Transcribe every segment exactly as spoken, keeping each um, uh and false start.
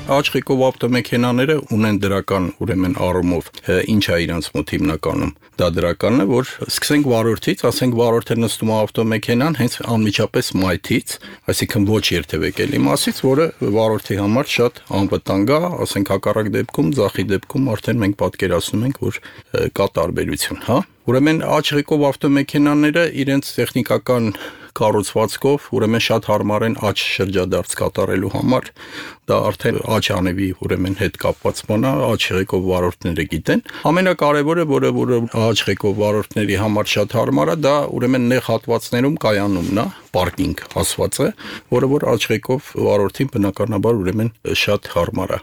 Աչղիկով ավտոմեքենաները ունեն դրական ուրեմն առումով ինչ է իրանց մոտ հիմնականում դա դրականն է որ սկսենք վարորդից ասենք վարորդը նստում է ավտոմեքենան հենց անմիջապես մայթից այսինքն ոչ երթևեկելի մասից որը վարորդի համար շատ անվտանգ է ասենք հակառակ դեպքում ձախի դեպքում արդեն մենք պատկերացնում ենք որ կա տարբերություն հա ուրեմն աչղիկով ավտոմեքենաները իրենց տեխնիկական կառուցվածքով ուրեմն շատ հարմար են աջ շրջադարձ կատարելու համար դա արդեն աջ անևի ուրեմն հետ կապված բան է աչղիկով վարորդները գիտեն ամենակարևորը որը որը աչղիկով վարորդների համար շատ հարմար է դա ուրեմն նեղ հատվածներում կայանումն է պարկինգ ասված է որը որ աչղիկով վարորդին բնականաբար ուրեմն շատ հարմար է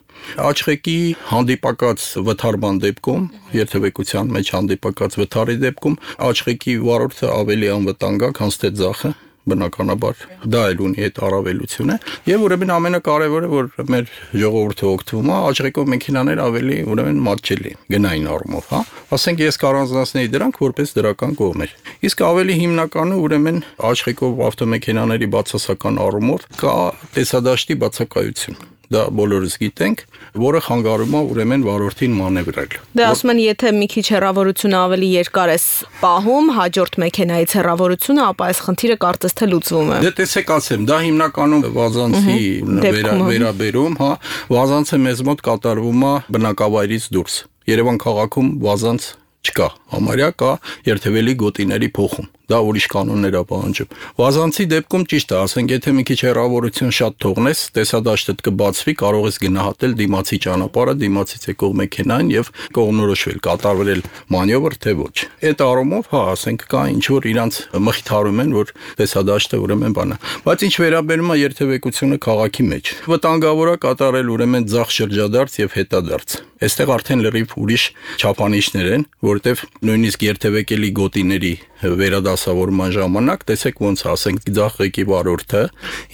աչղիկի հանդիպակաց վթարման դեպքում երթևեկության մեջ հանդիպակաց վթարի դեպքում աչղիկի վարորդը ավելի անվտանգ է քան թե ձախը բնականաբար դա էլ ունի այդ առավելությունը եւ ուրեմն ամենակարևորը որ մեր ժողովուրդը օգտվում է աչղիկով մեքենաներ ավելի ուրեմն մատչելի գնային առումով հա ասենք ես կառանձնացնեի դրանք որպես դրական կողմեր իսկ ավելի հիմնականը ուրեմն աչղիկով ավտոմեքենաների բացասական առումով կա տեսադաշտի բացակայություն դա բոլորս գիտենք, որը խանգարում է ուրեմն վարորդին մանևրել։ Դե ասում են, եթե մի քիչ հեռավորությունը ավելի երկար ես պահում, հաջորդ մեքենայից հեռավորությունը, ապա այս խնդիրը կարծես թե լուծվում է։ Դե տեսեք ասեմ, դա հիմնականում վազանցի վերաբերում, հա, վազանցը մեզ մոտ կատարվում է բնակավայրից դուրս։ Երևան քաղաքում վազանց չկա, համարյա կա երթևելի գոտիների փոխում։ Դա ուրիշ կանոններ է պահանջում։ Վազանցի դեպքում ճիշտ է, ասենք, եթե մի քիչ հեռավորություն շատ թողնես, տեսադաշտդ կբացվի, կարող ես գնահատել դիմացի ճանապարհը, դիմացից եկող մեքենային եւ կողմնորոշվել, կատարվել մանևր թե ոչ։ Այդ առումով, հա, ասենք, կա ինչ որ իրանց մխիթարում են, որ տեսադաշտը ուրեմն բան է։ Բայց ինչ վերաբերում է երթևեկությունը քաղաքի մեջ, վտանգավոր է կատարել ուրեմն ձախ շրջադարձ եւ հետադարձ։ Այստեղ արդեն լրիվ ուրիշ չափանիշներ են, որտեվ նույնիսկ երթևեկելի գոտիների վերադասավորման ժամանակ տեսեք ոնց ասենք ձախ վարորդը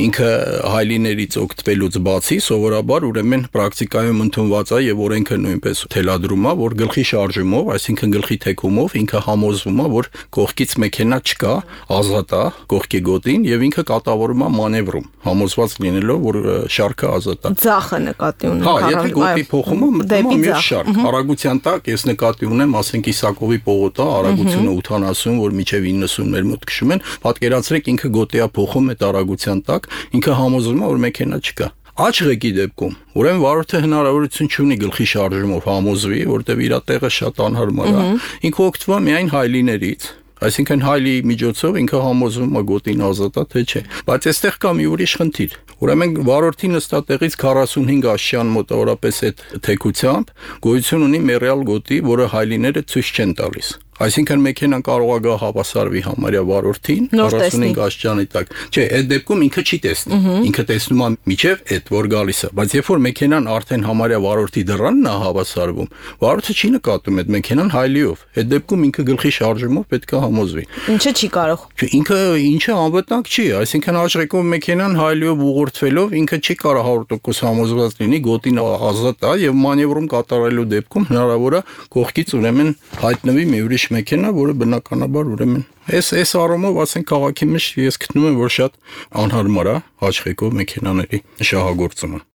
ինքը հայլիներից օգտվելուց բացի սովորաբար ուրեմն պրակտիկայում ընդունված է եւ օրենքը նույնպես թելադրում է որ գլխի շարժումով այսինքն գլխի թեքումով ինքը համոզվում է որ կողքից մեքենա չկա ազատ է կողքի գոտին եւ ինքը կատավորում է մանևրում համոզված լինելով որ շարքը ազատ է ձախը նկատի ունի հա եթե գոտի փոխումը մտնում է մյուս շարք արագության տակ ես նկատի ունեմ ասենք Իսակովի պողոտա արագությունը ութանասուն որ միջև իննսուն մեր մոտ քշում են, պատկերացրեք ինքը գոտիա փոխում այդ արագության տակ, ինքը համոզվում է որ մեքենա չկա։ Աչղիկի դեպքում ուրեմն վարորդը հնարավորություն չունի գլխի շարժումով համոզվի, որտեղ իր տեղը շատ անհարմար է։ Ինքը օգտվում է միայն հայլիներից, այսինքն հայլի միջոցով ինքը համոզվում է գոտին ազատ է թե չէ։ Բայց այստեղ կա մի ուրիշ խնդիր։ Ուրեմն վարորդի նստատեղից քառասունհինգ աշյան մոտավորապես այդ թեքությամբ գոյություն ունի մեռյալ գոտի, որը հայլիները ցույց չեն տալիս։ Այսինքն մեքենան կարող է գա հավասարվի համարյա վարորդին քառասունհինգ աշճանի տակ։ Չէ, այդ դեպքում ինքը չի տեսնի։ Ինքը տեսնում է միջև այդ որ գալիս է, բայց երբ որ մեքենան արդեն համարյա վարորդի դռանն է հավասարվում, վարորդը չի նկատում այդ մեքենան հայլիով։ Այդ դեպքում ինքը գլխի շարժումով պետք է համոզվի։ Ինչը չի կարող։ Չէ, ինքը ինչը անվտանգ չի, այսինքն աչղիկով մեքենան հայլիով ուղղորդվելով ինքը չի կարող հարյուր տոկոս համոզված լինի, գոտին ազատ է եւ մանևրում կատարելու դեպքում հնարավոր է կողքից ուրեմն հայտնվի մի ուրիշ մեքենա, որը բնականաբար ուրեմն այս այս առումով ասենք քաղաքի մեջ ես գտնում եմ որ շատ անհարմար է աչղիկով մեքենաների շահագործումը